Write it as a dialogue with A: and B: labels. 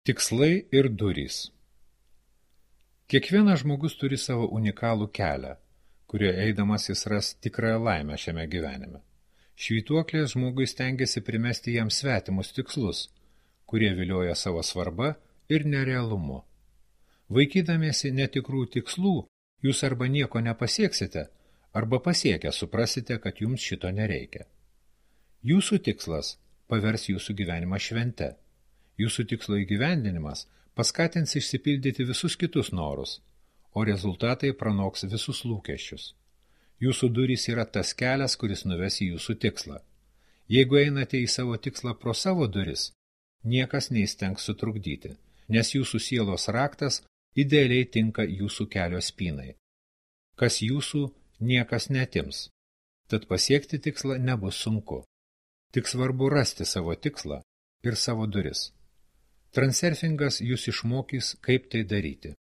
A: Tikslai ir durys. Kiekvienas žmogus turi savo unikalų kelią, kurio eidamas jis ras tikrąją laimę šiame gyvenime. Švytuoklės žmogui stengiasi primesti jam svetimus tikslus, kurie vilioja savo svarba ir nerealumu. Vaikydamiesi netikrų tikslų, jūs arba nieko nepasieksite, arba pasiekę suprasite, kad jums šito nereikia. Jūsų tikslas pavers jūsų gyvenimą švente. Jūsų tikslo įgyvendinimas paskatins išsipildyti visus kitus norus, o rezultatai pranoks visus lūkesčius. Jūsų durys yra tas kelias, kuris nuves į jūsų tikslą. Jeigu einate į savo tikslą pro savo duris, niekas neįstengs sutrukdyti, nes jūsų sielos raktas idealiai tinka jūsų kelio spynai. Kas jūsų, niekas netims, tad pasiekti tikslą nebus sunku. Tik svarbu rasti savo tikslą ir savo duris. Transurfingas jūs išmokys, kaip tai daryti.